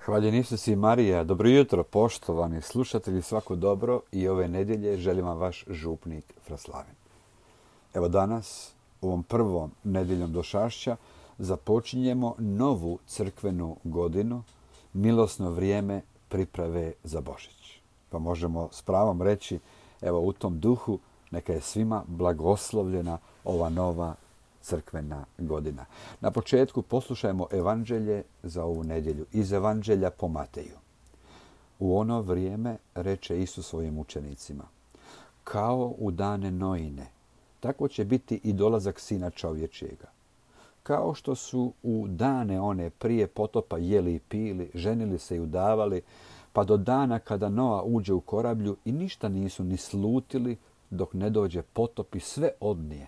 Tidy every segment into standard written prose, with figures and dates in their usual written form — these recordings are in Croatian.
Hvaljen Isus i Marija, dobro jutro poštovani slušatelji, svako dobro i ove nedjelje želim vam vaš župnik Fraslavin. Evo danas, ovom prvom nedjeljom došašća, započinjemo novu crkvenu godinu, milosno vrijeme priprave za Božić. Pa možemo s pravom reći, evo u tom duhu, neka je svima blagoslovljena ova nova crkvena godina. Na početku poslušajmo evanđelje za ovu nedjelju iz Evanđelja po Mateju. U ono vrijeme reče Isus svojim učenicima: kao u dane Noine, tako će biti i dolazak Sina čovječjega. Kao što su u dane one prije potopa jeli i pili, ženili se i udavali, pa do dana kada Noa uđe u korablju i ništa nisu ni slutili dok ne dođe potop i sve odnije,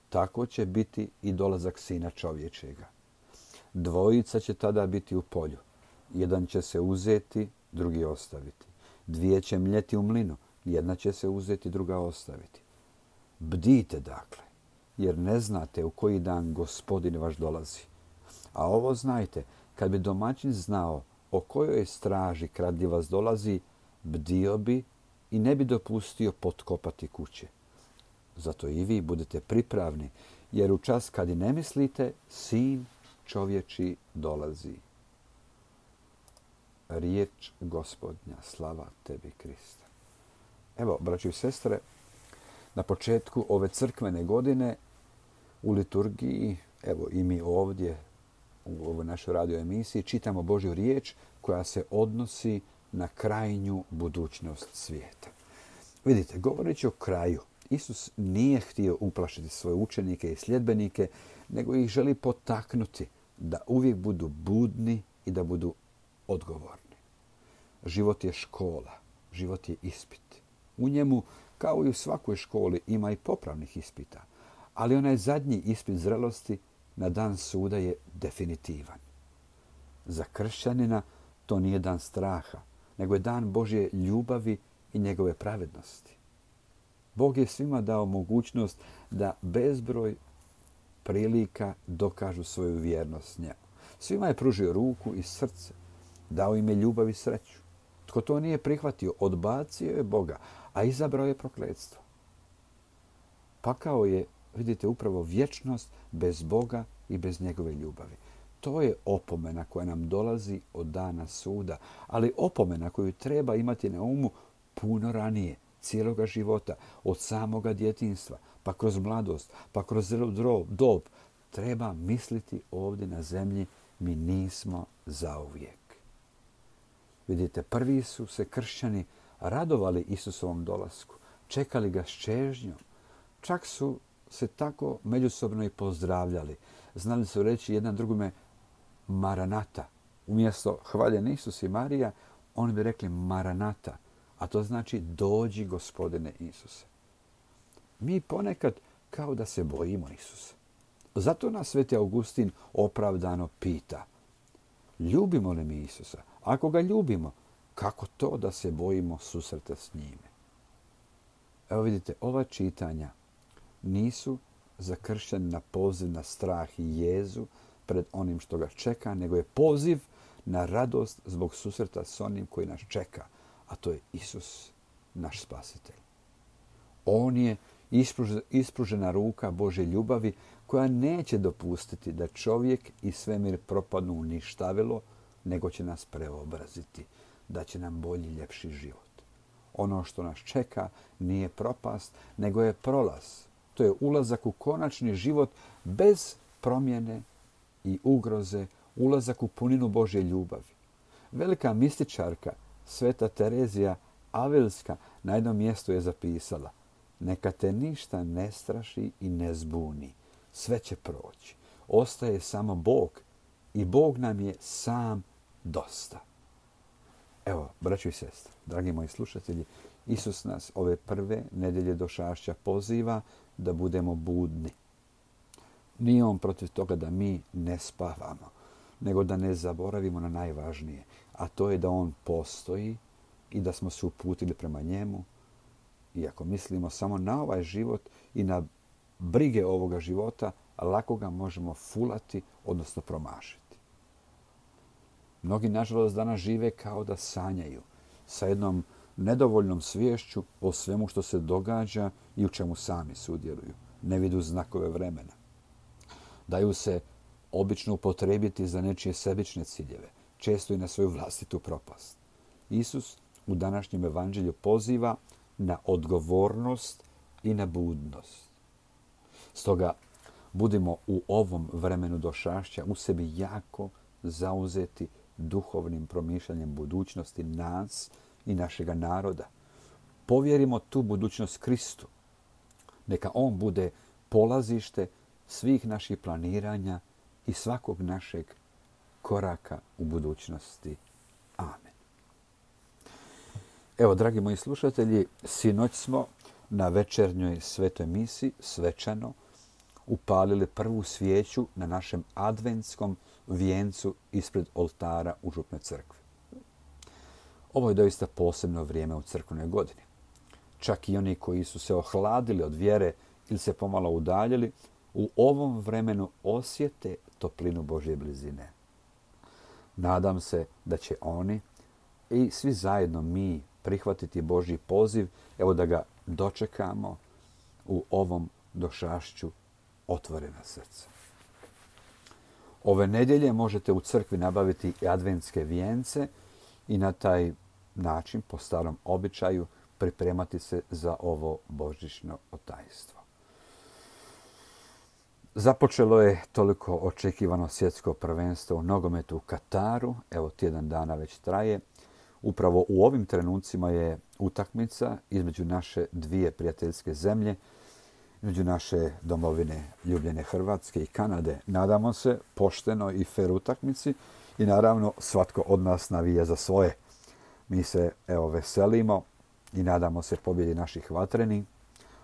tako će biti i dolazak Sina čovječjega. Dvojica će tada biti u polju. Jedan će se uzeti, drugi ostaviti. Dvije će mljeti u mlinu. Jedna će se uzeti, druga ostaviti. Bdite dakle, jer ne znate u koji dan Gospodin vaš dolazi. A ovo znajte, kad bi domaćin znao o kojoj straži kradljivac dolazi, bdio bi i ne bi dopustio potkopati kuće. Zato i vi budete pripravni, jer u čas kad i ne mislite, Sin čovječji dolazi. Riječ Gospodnja, slava tebi Kriste. Evo, braćo i sestre, na početku ove crkvene godine u liturgiji, evo i mi ovdje u ovoj našoj radio emisiji, čitamo Božju riječ koja se odnosi na krajnju budućnost svijeta. Vidite, govoreći o kraju, Isus nije htio uplašiti svoje učenike i sljedbenike, nego ih želi potaknuti da uvijek budu budni i da budu odgovorni. Život je škola, život je ispit. U njemu, kao i u svakoj školi, ima i popravnih ispita, ali onaj zadnji ispit zrelosti na dan suda je definitivan. Za kršćanina to nije dan straha, nego je dan Božje ljubavi i njegove pravednosti. Bog je svima dao mogućnost da bezbroj prilika dokažu svoju vjernost njemu. Svima je pružio ruku i srce, dao im je ljubav i sreću. Tko to nije prihvatio, odbacio je Boga, a izabrao je prokletstvo. Pakao je, vidite, upravo vječnost bez Boga i bez njegove ljubavi. To je opomena koja nam dolazi od dana suda, ali opomena koju treba imati na umu puno ranije, cijeloga života, od samoga djetinjstva, pa kroz mladost, pa kroz zrelu dob. Treba misliti ovdje na zemlji, mi nismo zauvijek. Vidite, prvi su se kršćani radovali Isusovom dolasku, čekali ga s čežnjom. Čak su se tako međusobno i pozdravljali. Znali su reći jedan drugome Maranata. Umjesto hvaljen Isus i Marija, oni bi rekli Maranata. A to znači dođi Gospodine Isuse. Mi ponekad kao da se bojimo Isusa. Zato nas Sveti Augustin opravdano pita: ljubimo li mi Isusa? Ako ga ljubimo, kako to da se bojimo susreta s njime? Evo vidite, ova čitanja nisu za kršćanina poziv na strah i jezu pred onim što ga čeka, nego je poziv na radost zbog susreta s onim koji nas čeka, a to je Isus, naš spasitelj. On je ispružena ruka Božje ljubavi koja neće dopustiti da čovjek i svemir propadnu u ništavilo, nego će nas preobraziti, da će nam bolji, ljepši život. Ono što nas čeka nije propast, nego je prolaz. To je ulazak u konačni život bez promjene i ugroze, ulazak u puninu Božje ljubavi. Velika mističarka Sveta Terezija Avilska na jednom mjestu je zapisala: neka te ništa ne straši i ne zbuni. Sve će proći. Ostaje samo Bog i Bog nam je sam dosta. Evo, braćo i sestre, dragi moji slušatelji, Isus nas ove prve nedjelje došašća poziva da budemo budni. Nije on protiv toga da mi ne spavamo, nego da ne zaboravimo na najvažnije, a to je da on postoji i da smo se uputili prema njemu. I ako mislimo samo na ovaj život i na brige ovoga života, lako ga možemo fulati, odnosno promašiti. Mnogi, nažalost, danas žive kao da sanjaju, sa jednom nedovoljnom sviješću o svemu što se događa i u čemu sami sudjeluju. Ne vidu znakove vremena. Daju se obično upotrijebiti za nečije sebične ciljeve, često i na svoju vlastitu propast. Isus u današnjem evanđelju poziva na odgovornost i na budnost. Stoga budimo u ovom vremenu došašća u sebi jako zauzeti duhovnim promišljanjem budućnosti nas i našega naroda. Povjerimo tu budućnost Kristu. Neka on bude polazište svih naših planiranja i svakog našeg koraka u budućnosti. Amen. Evo, dragi moji slušatelji, sinoć smo na večernjoj svetoj misi svečano upalili prvu svijeću na našem adventskom vijencu ispred oltara u župnoj crkvi. Ovo je doista posebno vrijeme u crkvenoj godini. Čak i oni koji su se ohladili od vjere ili se pomalo udaljili, u ovom vremenu osjete toplinu Božje blizine. Nadam se da će oni i svi zajedno mi prihvatiti Božji poziv, evo da ga dočekamo u ovom došašću otvorena srca. Ove nedjelje možete u crkvi nabaviti i adventske vijence i na taj način, po starom običaju, pripremati se za ovo božićno otajstvo. Započelo je toliko očekivano svjetsko prvenstvo u nogometu u Kataru. Evo, tjedan dana već traje. Upravo u ovim trenucima je utakmica između naše dvije prijateljske zemlje, između naše domovine ljubljene Hrvatske i Kanade. Nadamo se poštenoj i fer utakmici i naravno svatko od nas navija za svoje. Mi se veselimo i nadamo se pobjedi naših vatrenih,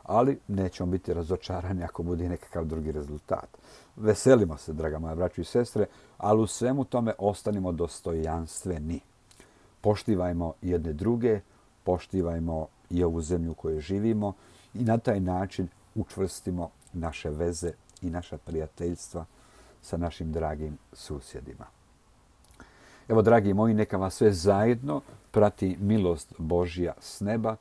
ali nećemo biti razočarani ako bude nekakav drugi rezultat. Veselimo se, draga moja braćo i sestre, ali u svemu tome ostanimo dostojanstveni. Poštivajmo jedne druge, poštivajmo i ovu zemlju u kojoj živimo i na taj način učvrstimo naše veze i naša prijateljstva sa našim dragim susjedima. Evo, dragi moji, neka vas sve zajedno prati milost Božja s neba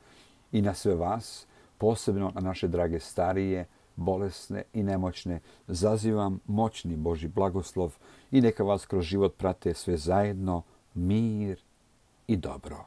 i na sve vas, posebno na naše drage starije, bolesne i nemoćne, zazivam moćni Božji blagoslov i neka vas kroz život prate sve zajedno mir i dobro.